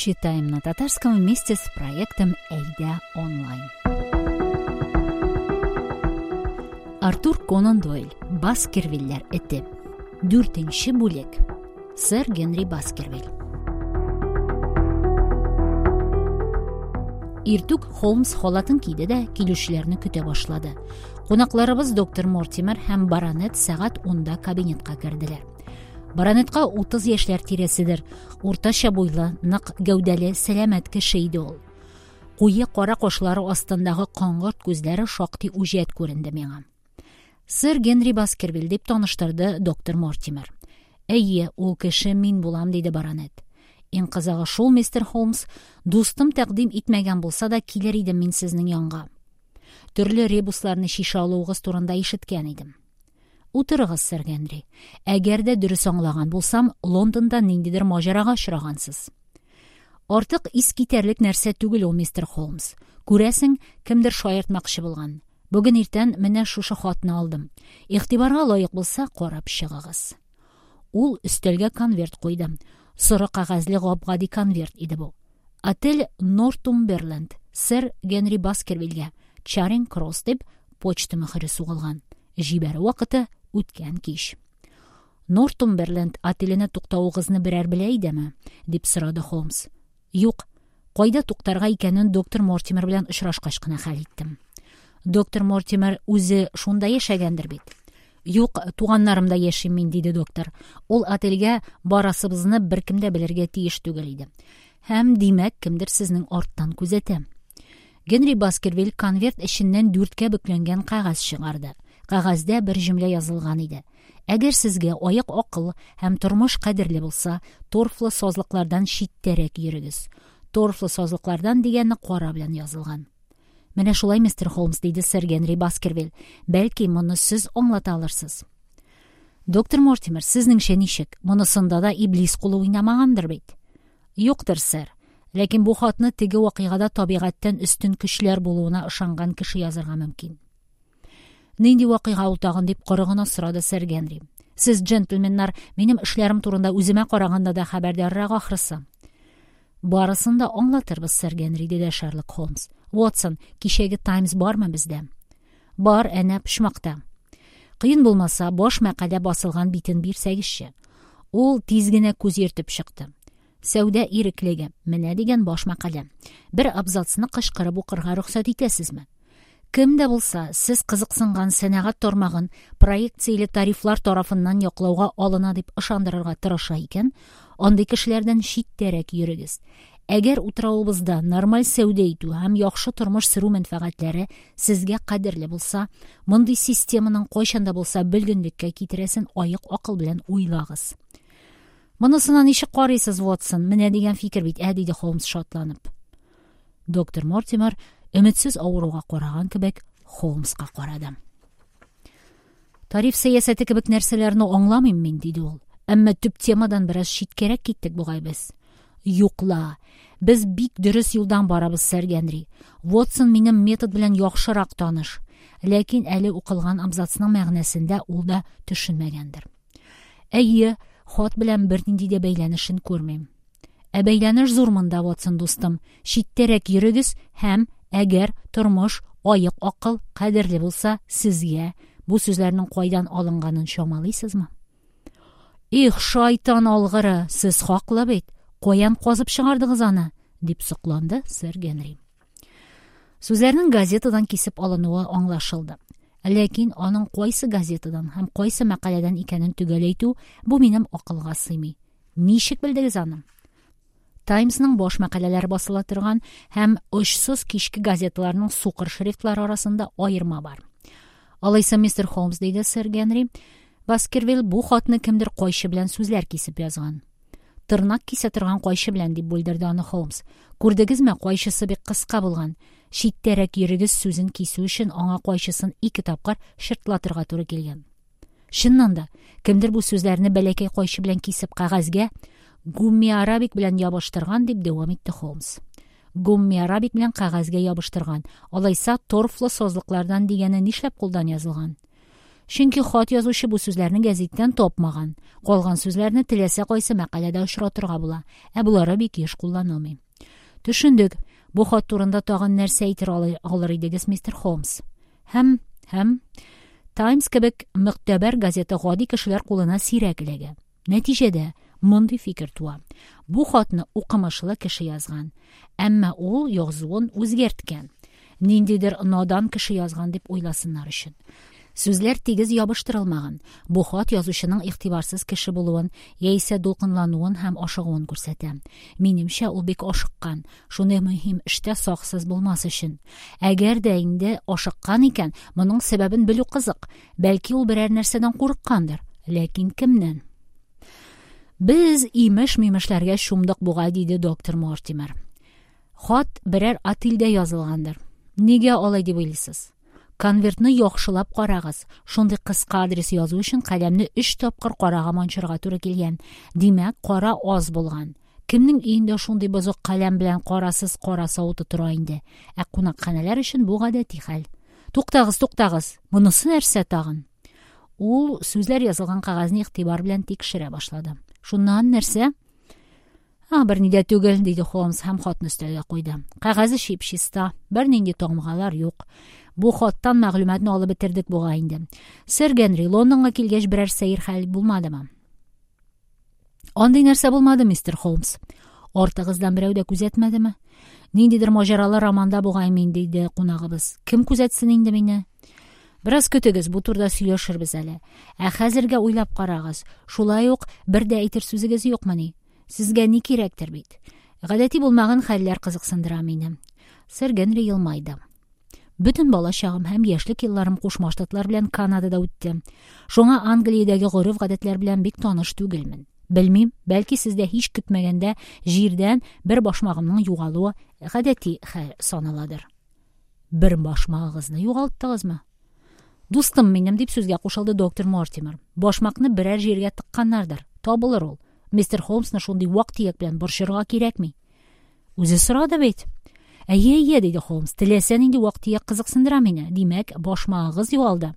Читаем на татарском вместе с проектом Әйдә онлайн. Артур Конан Дойль. Баскервильләр эте. Дүртенче бүлек. Сэр Генри Баскервиль. Иртүк Холмс халатын киде дә килүчеләрне көтә башлады. Кунакларыбыз доктор Мортимер һәм баронет сәгать унда кабинетка керделәр. Баронетка 30 яшьләр тирәседер. Уртача буйлы, нык гәүдәле, сәламәт кеше иде ул. Куе кара кашлары астындагы коңгырт күзләре шактый үҗәт күренде миңа. Сэр Генри Баскервиль дип таныштырды доктор Мортимер. Әйе, ул кеше мин булам, диде баронет. Иң кызыгы шул, мистер Холмс, дустым тәкъдим итмәгән булса да, килер идем мин сезнең янга. Төрле ребусларны чишә алуыгыз турында ишеткән идем. Утырыгыз, сэр Генри. Әгәр дә дөрес аңлаган булсам, Лондонда ниндидер маҗарага очрагансыз. Артык ис китәрлек нәрсә түгел ул, мистер Холмс. Күрәсең, кемдер шаяртмакчы булган. Бүген иртән менә шушы хатны алдым. Игътибарга лаек булса, карап чыгыгыз. Ул өстәлгә конверт куйды. Соры кәгазьле гап-гади конверт иде бу. Отель Нортумберленд, сэр Генри Баскервильгә, Чаринг Кросс дип почта мөһере сугылган. Җибәрү вакыты үткән кич. Нортумберленд отеленә туктавыгызны берәр белә идеме? дип сорады Холмс. Юк. Кайда туктарга икәнен доктор Мортимер белән очрашкач кына хәл иттем. Доктор Мортимер үзе шунда яшәгәндер бит. Юк, туганнарымда яшим мин, диде доктор. Ул отельгә барасыбызны беркем дә белергә тиеш түгел иде. Һәм, димәк, кемдер сезнең арттан күзәтә. Генри Баскервиль конверт эченнән дүрткә бөкләнгән кәгазь чыгарды. Кәгазьдә бер җөмлә язылган иде. Әгәр сезгә аек акыл һәм тормыш кадерле булса, торфлы сазлыклардан читтәрәк йөрегез. Торфлы сазлыклардан дигәне кара белән язылган. Менә шулай, мистер Холмс, диде сэр Генри Баскервиль. Бәлки, моны сез аңлата алырсыз. Доктор Мортимер, сезнеңчә ничек? Монысында да иблис кулы уйнамагандыр бит? Юктыр, сэр. Ләкин бу хатны теге вакыйгада табигатьтән өстен көчләр булуына ышанган кеше язырга мөмкин. Нинди вакыйга ул тагын, дип коры гына сорады сэр Генри. Сез, джентльменнар, минем эшләрем турында үземә караганда да хәбәрдаррак ахрысы. Барысын да аңлатырбыз, сэр Генри, диде Шерлок Холмс. Ватсон, кичәге Таймс бармы бездә? Бар, әнә почмакта. Кыен булмаса, баш мәкалә басылган битен бирсәгезче. Ул тиз генә күз йөртеп чыкты. Сәүдә иреклеге. Менә дигән баш мәкалә. Бер абзацны кычкырып укырга рөхсәт итәсезме? Кем дә булса, сез кызыксынган сәнәгать тармагын проекцияле тарифлар тарафыннан яклауга алына дип ышандырырга тырыша икән, андый кешеләрдән читтәрәк йөрегез. Әгәр утравыбызда нормаль сәүдә итү һәм яхшы тормыш сөрү мәнфәгатьләре сезгә кадерле булса, мондый системаның кайчан да булса бөлгенлеккә китерәсен аек акыл белән уйлагыз. Монысына ничек карыйсыз, Ватсон? Менә дигән фикер бит, ә, диде Холмс шатланып. Доктор Мортимер өметсез авыруга караган кебек Холмска карады. Тариф сәясәте кебек нәрсәләрне аңламыйм мин, диде ул. Әмма төп темадан бераз читкәрәк киттек бугай без. Юк ла. Без бик дөрес юлдан барабыз, сэр Генри. Ватсон минем метод белән яхшырак таныш. Ләкин әле укылган абзацның мәгънәсен дә ул да төшенмәгәндер. Әйе, хат белән бернинди дә бәйләнешен күрмим. Ә бәйләнеш зур монда, Ватсон дустым. Читтәрәк йөрегез һәм, әгәр тормыш, аек акыл кадерле булса, сезгә бу сүзләрнең кайдан алынганын чамалыйсызмы? Их, шайтан алгыры, сез хаклы бит. Каян казып чыгардыгыз аны? дип сокланды сэр Генри. Сүзләрнең газетадан кисеп алынуы аңлашылды. Ләкин аның кайсы газетадан һәм кайсы мәкаләдән икәнен төгәл әйтү бу минем акылга сыймый. Ничек белдегез аны? Таймсның баш мәкаләләре басыла торган һәм очсыз кичке газеталарның сукыр шрифтлары арасында аерма бар. Алайса, мистер Холмс, диде сэр Генри, Баскервиль бу хатны кемдер кайчы белән сүзләр кисеп язган. Тырнак кисә торган кайчы белән, дип бүлдерде аны Холмс. Күрдегезме, кайчысы бик кыска булган. Читтәрәк йөрегез сүзен кисү өчен аңа кайчысын ике тапкыр чыртлатырга туры килгән. Чыннан да, кемдер бу сүзләрне бәләкәй кайчы белән кисеп кәгазьгә гумми-арабик белән ябыштырган, дип дәвам итте Холмс. Гумми-арабик белән кәгазьгә ябыштырган. Алайса, торфлы сазлыклардан дигәне нишләп кулдан язылган? Чөнки хат язучы бу сүзләрне гәзиттән тапмаган. Калган сүзләрне теләсә кайсы мәкаләдә очратырга була, ә болары бик еш кулланылмый. Төшендек. Бу хат турында тагын нәрсә әйтер алыр идегез, мистер Холмс? Һәм, һәм Таймс кебек мөгътәбәр газета гади кешеләр кулына сирәк эләгә. Нәтиҗәдә, мондый фикер туа. Бу хатны укымышлы кеше язган. Әмма ул язуын үзгәрткән. Ниндидер надан кеше язган дип уйласыннар өчен. Сүзләр тигез ябыштырылмаган. Бу хат язучының игътибарсыз кеше булуын, яисә дулкынлануын һәм ашыгуын күрсәтә. Минемчә, ул бик ашыккан. Шундый мөһим эштә саксыз булмас өчен. Әгәр дә инде ашыккан икән, моның сәбәбен белү кызык. Бәлки ул берәр нәрсәдән курыккандыр. Ләкин кемнән? Без имеш-мимешләргә чумдык бугай, диде доктор Мортимер. Хат берәр отельдә язылгандыр. Нигә алай дип уйлыйсыз? Конвертны яхшылап карагыз. Шундый кыска адрес язу өчен каләмне өч тапкыр карага манчырга туры килгән. Димәк, кара аз булган. Кемнең өендә шундый бозык каләм белән карасыз кара савыты тора инде? Ә кунакханәләр өчен бу гадәти хәл. Туктагыз, туктагыз! Монысы нәрсә тагын? Ул сүзләр язылган кәгазьне игътибар белән тикшерә башлады. Шуннан нәрсә? А, берни дә түгел, диде Холмс һәм хатны өстәлгә куйды. Кәгазе чип-чиста, бернинди тамгалар юк. Бу хаттан мәгълүматны алып бетердек бугай инде. Сэр Генри, Лондонга килгәч берәр сәер хәл булмадымы? Андый нәрсә булмады, мистер Холмс. Артыгыздан берәү дә күзәтмәдеме? Ниндидер маҗаралы романда бугай мин, диде кунагыбыз. Кем күзәтсен инде мине? Бераз көтегез, бу турыда сөйләшербез әле. Ә хәзергә уйлап карагыз. Шулай ук бер дә әйтер сүзегез юкмыни? Сезгә ни кирәктер бит? Гадәти булмаган хәлләр кызыксындыра мине. Сэр Генри елмайды. Бөтен балачагым һәм яшьлек елларым Кушма Штатлар белән Канадада үтте. Шуңа Англиядәге гореф-гадәтләр белән бик таныш түгелмен. Белмим, бәлки сездә һич көтмәгәндә җирдән бер башмагымның югалуы гадәти хәл саналадыр. Бер башмагыгызны югалттыгызмы? Дустым минем, дип сүзгә кушылды доктор Мортимер. Башмакны берәр җиргә тыкканнардыр. Табылыр ул. Мистер Холмсны шундый вак-төяк белән борчырга кирәкми. Үзе сорады бит. Әйе, әйе, диде Холмс. Теләсә нинди вак-төяк кызыксындыра мине. Димәк, башмагыгыз югалды.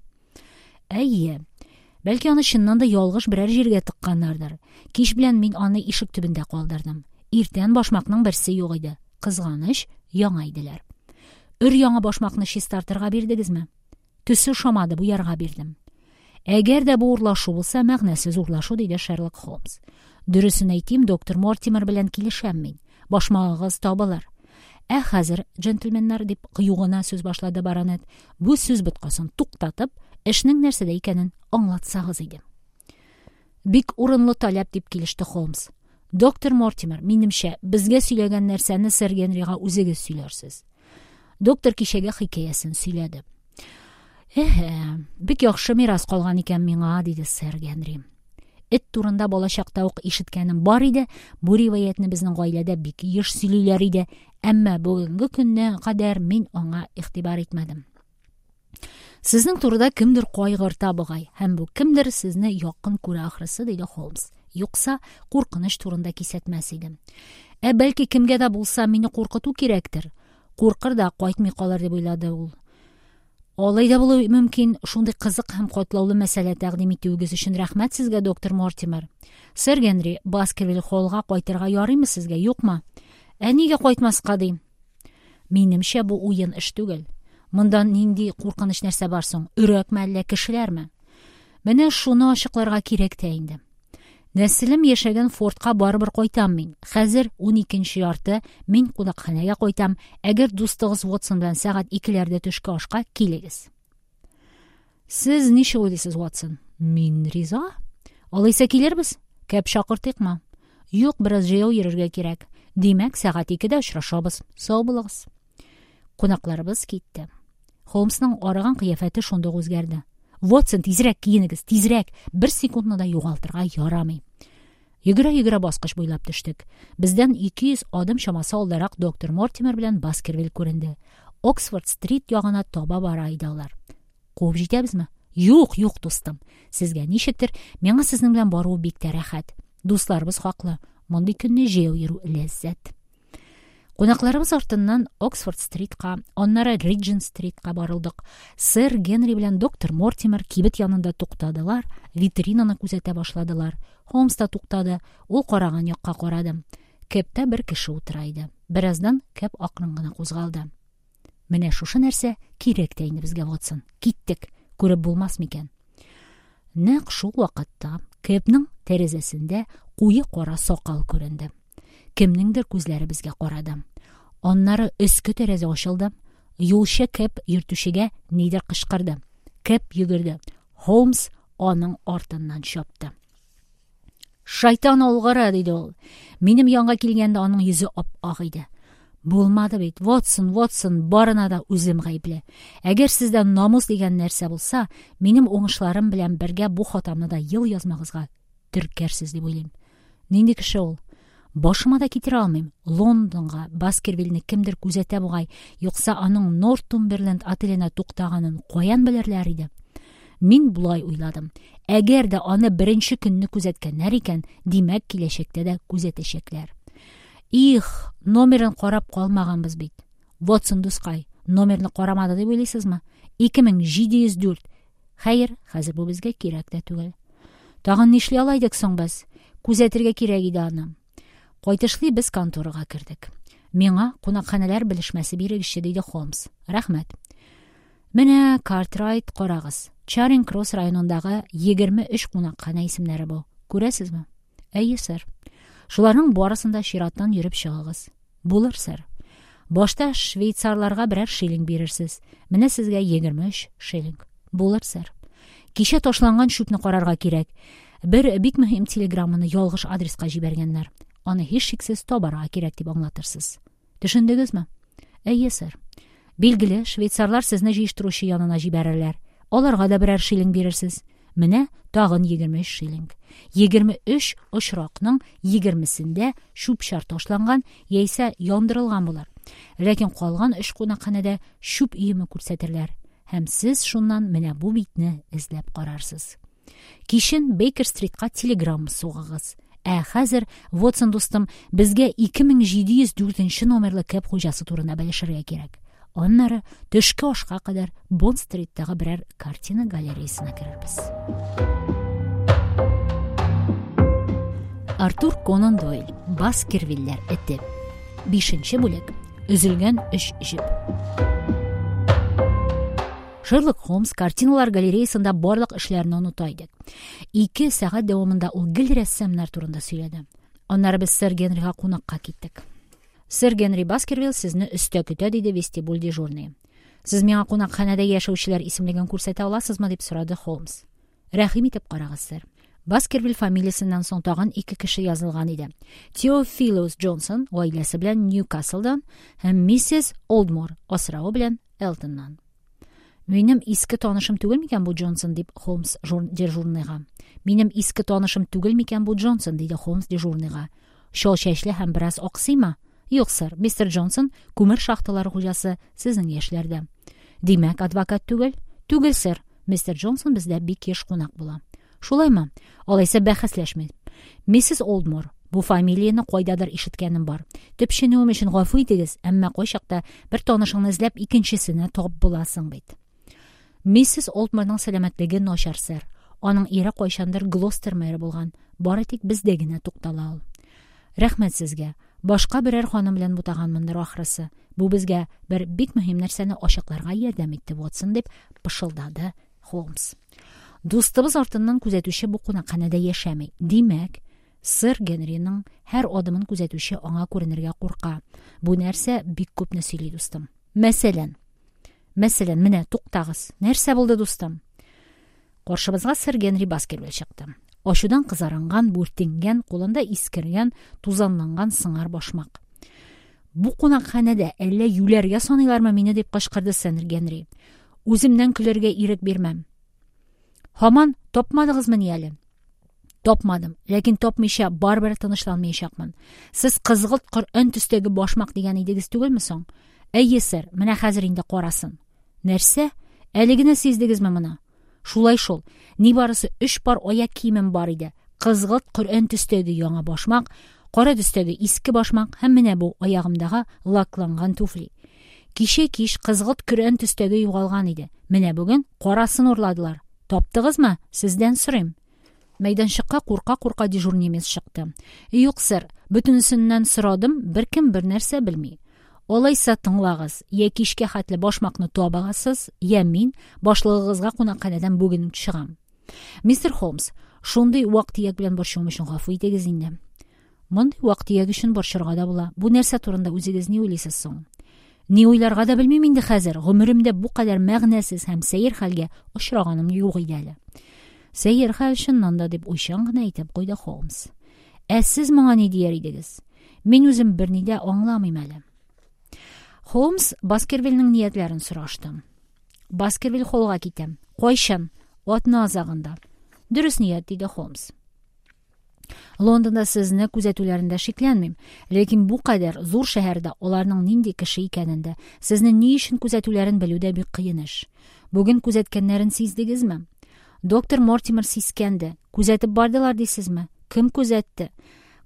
Әйе. Бәлки аны чыннан да ялгыш берәр җиргә тыкканнардыр. Кич белән мин аны ишек төбендә калдырдым. Иртән башмакның берсе юк иде. Кызганыч, яңа иделәр. Өр-яңа башмакны чистартырга бирдегезме? Төсе ошамады, буярга бирдем. Әгәр дә бу урлашу булса, мәгънәсез урлашу, диде Шерлок Холмс. Дөресен әйтим, доктор Мортимер белән килешәм мин. Башмагыгыз табылыр. Ә хәзер, джентльменнар, дип кыю гына сүз башлады баронет, бу сүз боткасын туктатып, эшнең нәрсәдә икәнен аңлатсагыз иде. Бик урынлы таләп, дип килеште Холмс. Доктор Мортимер, минемчә, безгә сөйләгән нәрсәне сэр Генрига үзегез сөйләрсез. Доктор кичәге хикәясен сөйләде. Эһе, бик яхшы мирас калган икән миңа, диде сэр Генри. Эт турында балачакта ук ишеткәнем бар иде, бу риваятьне безнең гаиләдә бик еш сөйлиләр иде, әмма бүгенге көнне кадәр мин аңа игътибар итмәдем. Сезнең турыда кемдер кайгырта бугай, һәм бу кемдер сезне якын күрә ахрысы, диде Холмс. Юкса, куркыныч турында кисәтмәс иде. Ә бәлки кемгә дә булса мине куркыту кирәктер? Куркыр да кайтмый калыр дип уйлады ул. Алай да булуы мөмкин. Шундый кызык һәм катлаулы мәсьәлә тәкъдим итүегез өчен рәхмәт сезгә, доктор Мортимер. Сэр Генри, Баскервиль холлга кайтырга ярыймы сезгә, юкмы? Ә нигә кайтмаска ди? Минемчә, бу уен эш түгел. Монда нинди куркыныч нәрсә бар соң? Өрәкме әллә кешеләрме? Менә шуны ачыкларга кирәк тә инде. Нәселем яшәгән фортка барыбер кайтам мин. Хәзер уникенче ярты, мин кунакханәгә кайтам. Әгәр дустыгыз Ватсон белән сәгать икеләрдә төшке ашка килегез. Сез ничек уйлыйсыз, Ватсон? Мин риза. Алайса килербез. Кәп чакыртыйкмы? Юк, бераз җәяү йөрергә кирәк. Димәк, сәгать икедә очрашабыз. Сау булыгыз. Кунакларыбыз китте. Холмсның арыган кыяфәте шундук үзгәрде. Ватсон, тизрәк киенегез, тизрәк! Бер секундны да югалтырга ярамый. Йөгерә-йөгерә баскыч буйлап төштек. Бездән 200 адым чамасы алдарак доктор Мортимер белән Баскервиль күренде. Оксфорд-стрит ягына таба бара иде алар. Куып җитәбезме? Юк, юк, дустым. Сезгә ничектер, миңа сезнең белән баруы бик тә рәхәт. Дусларыбыз хаклы. Мондый көнне җәяү йөрү ләззәт. Кунакларыбыз артыннан Оксфорд-стритка, аннары Риджент-стритка барылдык. Сэр Генри белән доктор Мортимер кибет янында туктадылар, витринаны күзәтә башладылар. Холмс та туктады, ул караган якка карады. Кэбта бер кеше утыра иде. Бераздан кэб акрын гына кузгалды. Менә шушы нәрсә кирәк тә инде безгә, Ватсон. Киттек. Күреп булмас микән? Нәкъ шул вакытта кэбның тәрәзәсендә куе кара сакал күренде. Кемнеңдер күзләре безгә карады. Аннары өске тәрәзә ачылды. Юлчы кэб йөртүчегә нидер кычкырды. Кэб йөгерде. Холмс аның артыннан чапты. Шайтан алгыры, диде ул. Минем янга килгәндә аның йөзе ап-ак иде. Булмады бит. Ватсон, Ватсон, барына да үзем гаепле. Әгәр сездә намус дигән нәрсә булса, минем уңышларым белән бергә бу хатамны да ел язмагызга теркәрсез дип уйлыйм. Нинди кеше ул? Башыма да китерә алмыйм. Лондонга Баскервильне кемдер күзәтә бугай, юкса аның Нортумберленд отеленә туктаганын каян белерләр иде? Мин болай уйладым. Әгәр дә аны беренче көнне күзәткәннәр икән, димәк, киләчәктә дә күзәтәчәкләр. Их, номерын карап калмаганбыз бит. Ватсон дускай, номерны карамады дип уйлыйсызмы? 2704. Хәер, хәзер бу безгә кирәк тә түгел. Тагын нишли ала идек соң без? Күзәтергә кирәк иде аны. Кайтышлый без конторага кердек. Миңа кунакханәләр белешмәсе бирегезче, диде Холмс. Рәхмәт. Менә Картрайт, карагыз. Чаринг Кросс районындагы 23 кунакханә исемнәре бу. Күрәсезме? Әйе, сэр. Шуларның барысын да чираттан йөреп чыгыгыз. Булыр, сэр. Башта швейцарларга берәр шиллинг бирерсез. Менә сезгә 23 шиллинг. Булыр, сэр. Кичә ташланган чүпне карарга кирәк. Бер бик мөһим телеграмманы ялгыш адреска җибәргәннәр. Аны һичшиксез табарга кирәк дип аңлатырсыз. Төшендегезме? Әйе, сэр. Билгеле, швейцарлар сезне җыештыручы янына җибәрерләр. Аларга да берәр шиллинг бирерсез. Менә тагын 23 шиллинг. 23 очракның 20-сендә чүп-чар ташланган яисә яндырылган булыр. Ләкин калган өч кунакханәдә чүп өеме күрсәтерләр. Һәм сез шуннан менә бу битне эзләп карарсыз. Кичен Бейкер-стритка телеграмма сугыгыз. Ә хәзер, Вотсон дустым, безгә 2704 номерлы кэб хуҗасы турында белешергә кирәк. Аннары төшке ашка кадәр Бонд-стриттагы берәр картина галереясына керербез. Артур Конан Дойль, Баскервилләр эте. Бишенче бүлек. Өзелгән өч җеп. Шерлок Холмс картиналар галереясында барлык эшләрне оныта иде. Ике сәгать дәвамында ул гел рәссамнар турында сөйләде. Аннары без сэр Генрига кунакка киттек. Сэр Генри Баскервилл сезне өстә көтә, диде вестибюль дежурные. Сез миңа кунакханәдә яшәүчеләр исемлеген күрсәтә аласызмы, дип сорады Холмс. Рәхим итеп карагыз, сэр. Баскервиль фамилиясеннән соң тагын ике кеше язылган иде. Теофилус Джонсон гаиләсе белән Ньюкаслдан һәм миссис Олдмор асравы белән Элтоннан. Минем иске танышым түгел микән бу Джонсон, дип Холмс дежурныйга. Минем иске танышым түгел микән бу Джонсон, диде Холмс дежурныйга. Чал чәчле һәм бераз аксыймы? Юк, сэр, мистер Джонсон күмер шахталары хуҗасы, сезнең яшьләрдә. Димәк, адвокат түгел? Түгел, сэр. Мистер Джонсон бездә бик еш кунак була. Шулаймы? Алайса бәхәсләшмим. Миссис Олдмор, бу фамилияне кайдадыр ишеткәнем бар. Төпченүем өчен гафу итегез, әмма кайчакта бер танышыңны эзләп икенчесенә тап буласың бит. Миссис Олдморның сәламәтлеге начар, сэр. Аның ире кайчандыр Глостер мэры булган. Бары тик бездә генә туктала ул. Рәхмәт сезгә. Башка берәр ханым белән бутаганмындыр ахрысы. Бу безгә бер бик мөһим нәрсәне ачыкларга ярдәм итте, Ватсон, дип пышылдады Холмс. Дустыбыз артыннан күзәтүче бу кунакханәдә яшәми. Димәк, сэр Генриның һәр адымын күзәтүче аңа күренергә курка. Бу нәрсә бик күпне сөйли, дустым. Мәсәлән, мәсәлән, менә туктагыз. Нәрсә булды, дустым? Каршыбызга сэр Генри Баскервиль чыкты. Ачудан кызарынган, бүртенгән, кулында искергән, тузанланган сыңар башмак. Бу кунакханәдә әллә юләргә саныйлармы мине, дип кычкырды сэр Генри. Үземнән көләргә ирек бирмәм. Һаман тапмадыгызмыни әле? Тапмадым, ләкин тапмыйча барыбер тынычланмаячакмын. Сез кызгылт коръән төстәге башмак дигән идегез түгелме соң? Әйе, сэр, менә хәзер инде карасын. Нәрсә? Әле генә сиздегезме моны? Шулай шул. Нибарысы өч пар аяк киемем бар иде. Кызгылт коръән төстәге яңа башмак, Кара төстәге иске башмак һәм менә бу аягымдагы лакланган туфли. Кичә кич кызгылт көрән төстәге югалган иде. Менә бүген карасын урладылар. Таптыгызмы? Сездән сорыйм. Мәйданчыкка курка-курка дежур немец чыкты. Юк, сэр, бөтенесеннән сорадым, беркем бернәрсә белми. Алайса тыңлагыз, я кичкә хәтле башмакны табасыз, я мин башлыгыгызга кунакханәдән бүген үк чыгам. Мистер Холмс, шундый вак-төяк белән борчуым өчен гафу итегез инде. Мондый вак-төяк өчен борчырга да була. Бу нәрсә турында үзегез ни уйлыйсыз соң? Ни уйларга да белмим инде хәзер. Гомеремдә бу кадәр мәгънәсез һәм сәер хәлгә очраганым юк иде әле. Сәер хәл чыннан да, дип уйчан гына әйтеп куйды Холмс. Ә сез моңа ни дияр идегез? Мин үзем берни дә аңламыйм әле. Холмс Баскервильнең ниятләрен сорашты. Баскервиль холлга китә. Кайчан? Атна азагында. Дөрес ният, диде Холмс. Лондонда сезне күзәтүләрендә шикләнмим. Ләкин бу кадәр зур шәһәрдә аларның нинди кеше икәнен дә, сезне ни өчен күзәтүләрен белү дә бик кыен эш. Бүген күзәткәннәрен сиздегезме? Доктор Мортимер сискәнде. Күзәтеп бардылар дисезме? Кем күзәтте?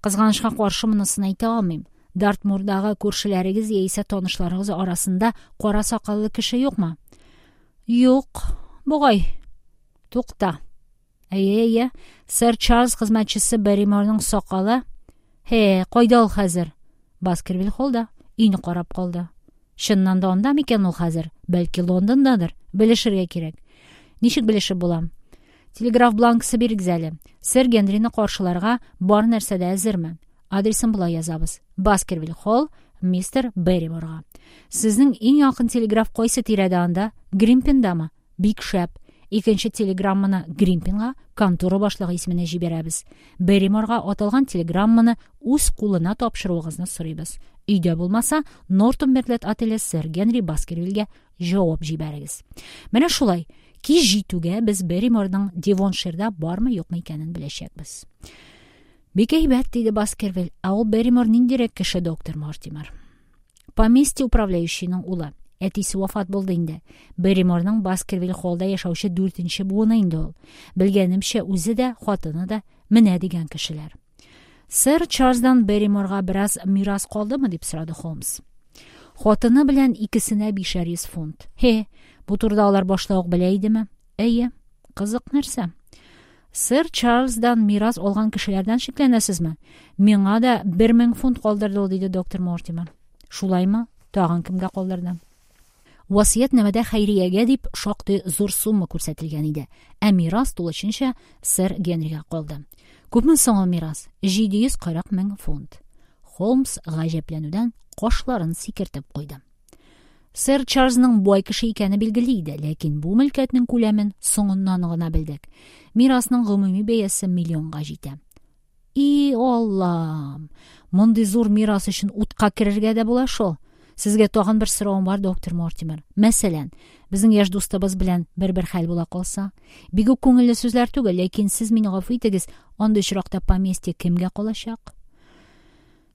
Кызганычка каршы монысын әйтә алмыйм. Дартмурдагы күршеләрегез яисә танышларыгыз арасында кара сакаллы кеше юкмы? Юк, бугай. Тукта. Әйе, әйе. Сэр Чарльз хезмәтчесе Берриморның сакалы. Һе, кайда ул хәзер? Баскервиль холлда. Өйне карап калды. Чыннан да анда микән ул хәзер? Бәлки Лондондадыр? Белешергә кирәк. Ничек белешеп була? Телеграф бланкысы бирегез әле. Сэр Генрины каршыларга бар нәрсә дә әзерме? Адресын болай язабыз. Баскервиль холл, мистер Берриморга. Сезнең иң якын телеграф кайсы тирәдә анда? Гримпиндамы? Бик шәп. Икенче телеграмманы Гримпинга, контора башлыгы исеменә җибәрәбез. Берриморга аталган телеграмманы үз кулына тапшыруыгызны сорыйбыз. Өйдә булмаса, Нортумберленд отеле сэр Генри Баскервильгә җавап җибәрегез. Менә шулай. Кич җитүгә без Берриморның Девонширда бармы-юкмы икәнен беләчәкбез. Бик әйбәт, диде Баскервиль. Ә ул Берримор ниндирәк кеше, доктор Мортимер? Поместье управляющийның улы. Әтисе вафат булды инде. Берриморның Баскервиль холлда яшәүче дүртенче буыны инде ул. Белгәнемчә, үзе дә, хатыны да менә дигән кешеләр. Сэр Чарльздан Берриморга бераз мирас калдымы, дип сорады Холмс. Хатыны белән икесенә бишәр йөз фунт. Һе, бу турыда алар башта ук белә идеме? Әйе. Кызык нәрсә. Сэр Чарльздан мирас алган кешеләрдән шикләнәсезме? Миңа да 1000 фунт калдырды ул, диде доктор Мортимер. Шулаймы? Тагын кемгә калдырды? Васыятьнамәдә хәйриягә дип шактый зур сумма күрсәтелгән иде, ә мирас тулысынча сэр Генрига калды. Күпме соң ул мирас? 740 мең фунт. Холмс гаҗәпләнүдән кашларын сикертеп куйды. Сэр Чарльзның бай кеше икәне билгеле иде, ләкин бу мөлкәтнең күләмен соңыннан гына белдек. Мирасның гомуми бәясе миллионга җитә. И Аллам! Мондый зур мирас өчен утка керергә дә була шул. Сезгә тагын бер соравым бар, доктор Мортимер. Мәсәлән, безнең яшь дустыбыз белән бер-бер хәл була калса? Бик үк күңелле сүзләр түгел, ләкин сез мине гафу итегез, андый очракта поместье кемгә калачак?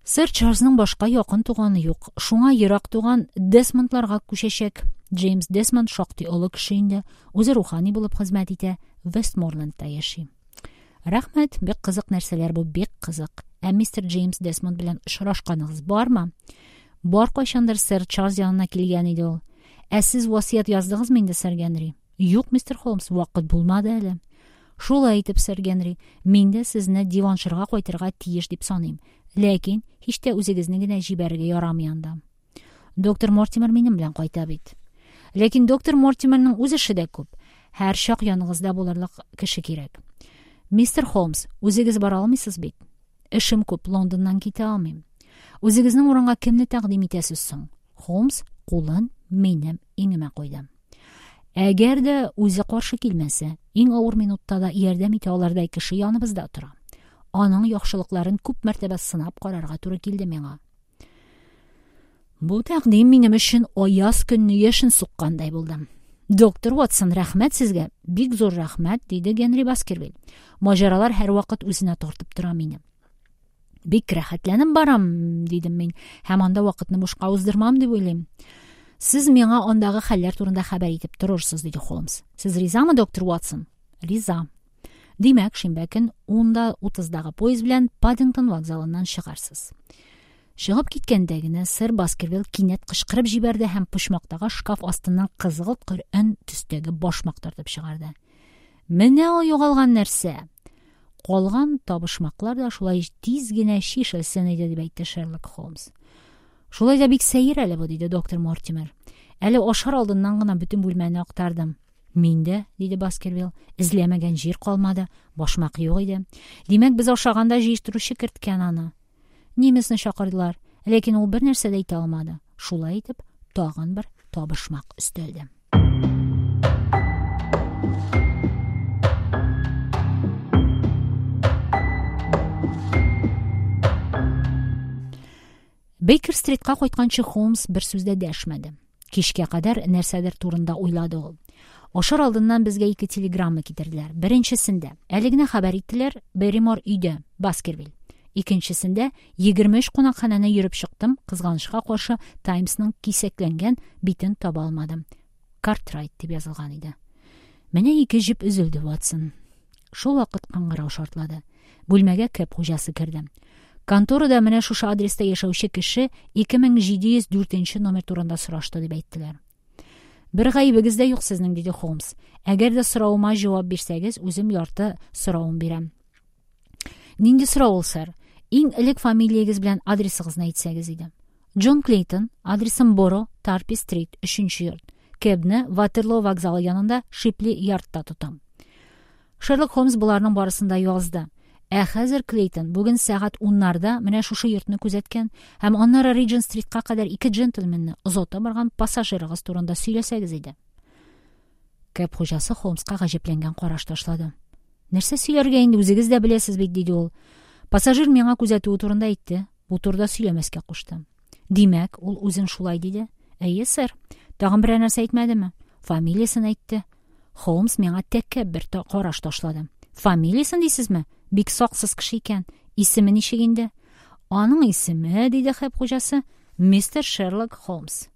Сэр Чарльзның башка якын туганы юк. Шуңа ерак туган Десмондларга күчәчәк. Джеймс Десмонд шактый олы кеше инде. Үзе рухани булып хезмәт итә, Вестморлендта яши. Рәхмәт, бик кызык нәрсәләр бу, бик кызык. Ә мистер Джеймс Десмонд белән очрашканыгыз бармы? Бар, кайчандыр сэр Чарльз янына килгән иде ул. Ә сез васыять яздыгызмы инде, сэр Генри? Юк, мистер Холмс, вакыт булмады әле. Шулай итеп, сэр Генри, мин дә сезне Девонширга кайтырга тиеш дип саныйм. Ләкин һич тә үзегезне генә җибәрергә ярамый анда. Доктор Мортимер минем белән кайта бит. Ләкин доктор Мортимерның үз эше дә күп. Һәр чак яныгызда булырлык кеше кирәк. Мистер Холмс, үзегез бара алмыйсыз бит? Эшем күп, Лондоннан китә алмыйм. Үзегезнең урынга кемне тәкъдим итәсез соң? Холмс кулын минем иңемә куйды. Әгәр дә үзе каршы килмәсә, иң авыр минутта да ярдәм итә алырдай кеше яныбызда тора. Аның яхшылыкларын күп мәртәбә сынап карарга туры килде миңа. Бу тәкъдим минем өчен аяз көнне яшен суккандай булды. Доктор Ватсон, рәхмәт сезгә, бик зур рәхмәт, диде Генри Баскервиль. Маҗаралар һәрвакыт үзенә тартып тора мине. Бик рәхәтләнеп барам, дидем мин, һәм анда вакытны бушка уздырмам дип уйлыйм. Сез миңа андагы хәлләр турында хәбәр итеп торырсыз, диде Холмс. Сез ризамы, доктор Ватсон? Риза. Димәк, шимбә көн 10:30дагы поезд белән Паддингтон вокзалыннан чыгарсыз. Чыгып киткәндә генә сэр Баскервилл кинәт кычкырып җибәрде һәм почмактагы шкаф астыннан кызгылт көрән төстәге башмак тартып чыгарды. Менә ул югалган нәрсә! Калган табышмаклар да шулай тиз генә чишелсен иде, дип әйтте Шерлок Холмс. Шулай да бик сәер әле бу, диде доктор Мортимер. Әле ашар алдыннан гына бөтен бүлмәне актардым. Мин дә, диде Баскервилл. Эзләмәгән җир калмады. Башмак юк иде. Димәк, без ашаганда җыештыручы керткән аны. Немецны чакырдылар, ләкин ул бер нәрсә дә әйтә алмады. Шулай итеп, тагын бер табышмак өстәлде. Бейкер-стритка кайтканчы Холмс бер сүз дә дәшмәде. Кичкә кадәр нәрсәдер турында уйлады ул. Ашар алдыннан безгә ике телеграмма китерделәр. Беренчесендә әле генә хәбәр иттеләр, Берримор өйдә, Баскервиль. Икенчесендә 23 кунакханәне йөреп чыктым, кызганычка каршы, Таймсның кисәкләнгән битен таба алмадым. Картрайт дип язылган иде. Менә ике җеп өзелде, Ватсон. Шул вакыт кыңгырау шартлады. Бүлмәгә кэб хуҗасы керде. Конторада менә шушы адреста яшәүче кеше 2704 нче номер турында сорашты, дип әйттеләр. Бер гаебегез дә юк сезнең, диде Холмс. Әгәр дә соравыма җавап бирсәгез, үзем ярты соравын бирәм. Нинди сорау ул, сэр? Иң элек фамилиягез белән адресыгызны әйтсәгез иде. Джон Клейтон, адресым Боро, Тарпи стрит, 3 йорт. Кэбны Ватерлоо вокзалы янында Шипли Ярдта тотам. Шерлок Холмс боларның барысын да язды. Ә хәзер, Клейтон, бүген сәгать уннарда менә шушы йортны күзәткән һәм аннары Риджент-стритка кадәр ике джентльменны озата барган пассажирыгыз турында сөйләсәгез иде. Кэб хуҗасы Холмска гаҗәпләнгән караш ташлады. Нәрсә сөйләргә инде, үзегез дә беләсез бит, диде ул. Пассажир миңа күзәтүе турында әйтте. Бу турыда сөйләмәскә кушты. Димәк, ул үзен шулай диде? Әйе, сэр. Тагын берәр нәрсә әйтмәдеме? Фамилиясен әйтте. Холмс миңа тәкәббер караш ташлады. Фамилиясен дисезме? Бик саксыз кеше икән. Исеме ничек инде? Аның исеме, диде кэб хуҗасы, мистер Шерлок Холмс.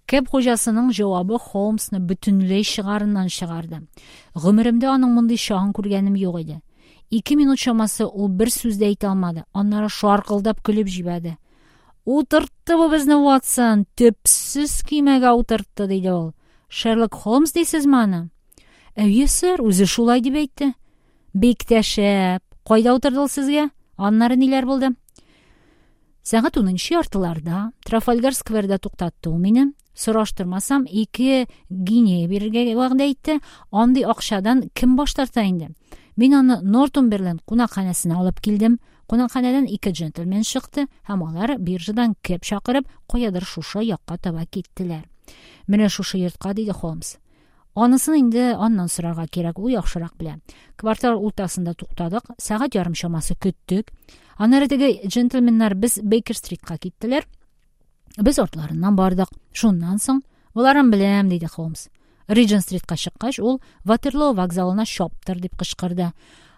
Кэб хуҗасының җавабы Холмсны бөтенләй чыгарыннан чыгарды. Гомеремдә аның мондый чагын күргәнем юк иде. Ике минут чамасы ул бер сүз дә әйтә алмады. Аннары шаркылдап көлеп җибәрде. Утыртты бу безне, Ватсон, төпсез көймәгә утыртты, диде ул. Шерлок Холмс дисезме аны? Әйе, сэр, үзе шулай дип әйтте. Бик тә шәп. Кайда утырды ул сезгә? Аннары ниләр булды? Сәгать унынчы яртыларда Трафальгар скверда туктатты ул мине. Сораштырмасам, ике гинея бирергә вәгъдә итте. Андый акчадан кем баш тарта инде? Мин аны Нортумберленд кунакханәсенә алып килдем. Кунакханәдән ике джентльмен чыкты һәм алар биржадан кэб чакырып, каядыр шушы якка таба киттеләр. Менә шушы йортка, диде Холмс. Анысын инде аннан сорарга кирәк, ул яхшырак белә. Квартал уртасында туктадык, сәгать ярым чамасы көттек. Аннары теге джентльменнар без Бейкер-стритка киттеләр. Без артларыннан бардык. Шуннан соң, боларын беләм, диде Холмс. Риджент-стритка чыккач, ул Ватерлоо вокзалына чаптыр дип кычкырды.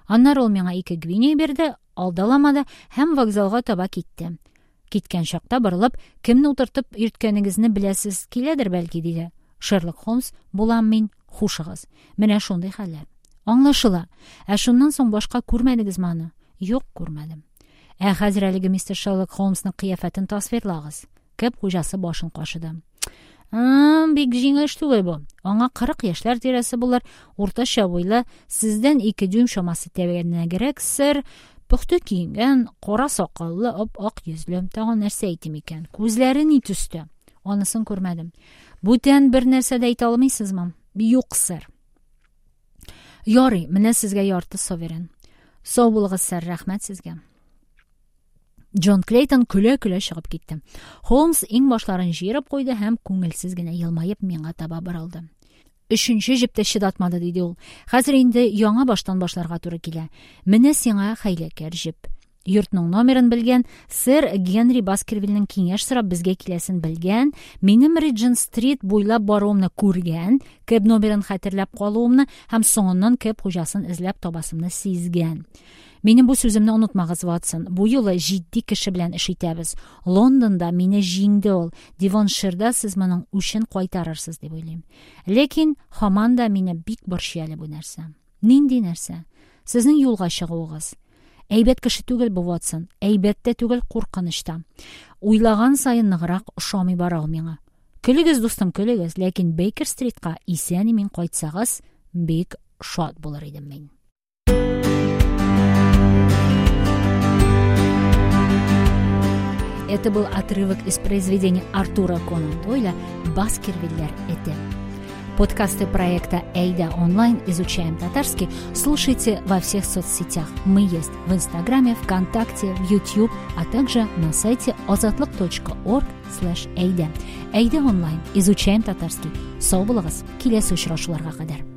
Аннары ул миңа ике гвинея бирде, алдаламады һәм вокзалга таба китте. Киткән чакта борылып, кемне утыртып йөрткәнегезне беләсез киләдер бәлки, диде. Шерлок Холмс, булам мин, хушыгыз. Менә шундый хәлләр. Аңлашыла. Ә шуннан соң башка күрмәдегезме аны? Юк, күрмәдем. Ә хәзер әлеге мистер Шерлок Холмсның кыяфәтен тасвирлагыз. Кэб хуҗасы башын кашыды. Бик җиңел эш түгел бу. Аңа 40 яшьләр тирәсе булыр, уртача буйлы, сездән 2 дюйм чамасы тәбәнәгрәк, сэр, пөхтә киенгән, кара сакаллы, ап-ак йөзле. Тагын нәрсә әйтим икән? Күзләре ни төстә? Анысын күрмәдем. Бүтән бер нәрсә дә әйтә алмыйсызмы? Юк, сэр. Ярый, менә сезгә ярты соверен. Сау булыгыз, сэр, рәхмәт сезгә. Джон Клейтон көлә-көлә чыгып китте. Холмс иңбашларын җыерып куйды һәм күңелсез генә елмаеп миңа таба борылды. Өченче җеп тә чыдатмады, диде ул. Хәзер инде яңа баштан башларга туры килә. Менә сиңа хәйләкәр җеп. Йортның номерын белгән, сэр Генри Баскервильнең киңәш сорап безгә киләсен белгән, минем Риджент-стрит буйлап баруымны күргән, кэб номерын хәтерләп калуымны һәм соңыннан кэб хуҗасын эзләп табасымны сизгән. Минем бу сүземне онытмагыз, Ватсон. Бу юлы җитди кеше белән эш итәбез. Лондонда мине җиңде ул. Девонширда сез моның үчен кайтарырсыз дип уйлыйм. Ләкин һаман да мине бик борчый әле бу нәрсә. Нинди нәрсә? Сезнең юлга чыгуыгыз. Әйбәт кеше түгел бу Ватсон. Әйбәт тә түгел, куркыныч та. Уйлаган саен ныграк ошамый бара ул миңа. Көлегез, дустым, көлегез, ләкин Бейкер-стритка исән-имин кайтсагыз, бик шат булыр идем мин. Это был отрывок из произведения Артура Конан Дойля «Баскервиллер эте». Подкасты проекта «Эйда онлайн. Изучаем татарский» слушайте во всех соцсетях. Мы есть в Инстаграме, ВКонтакте, в YouTube, а также на сайте ozodlik.org слэш Эйда. Эйда онлайн. Изучаем татарский. Сау булыгыз. Киләсе очрашуларга кадәр.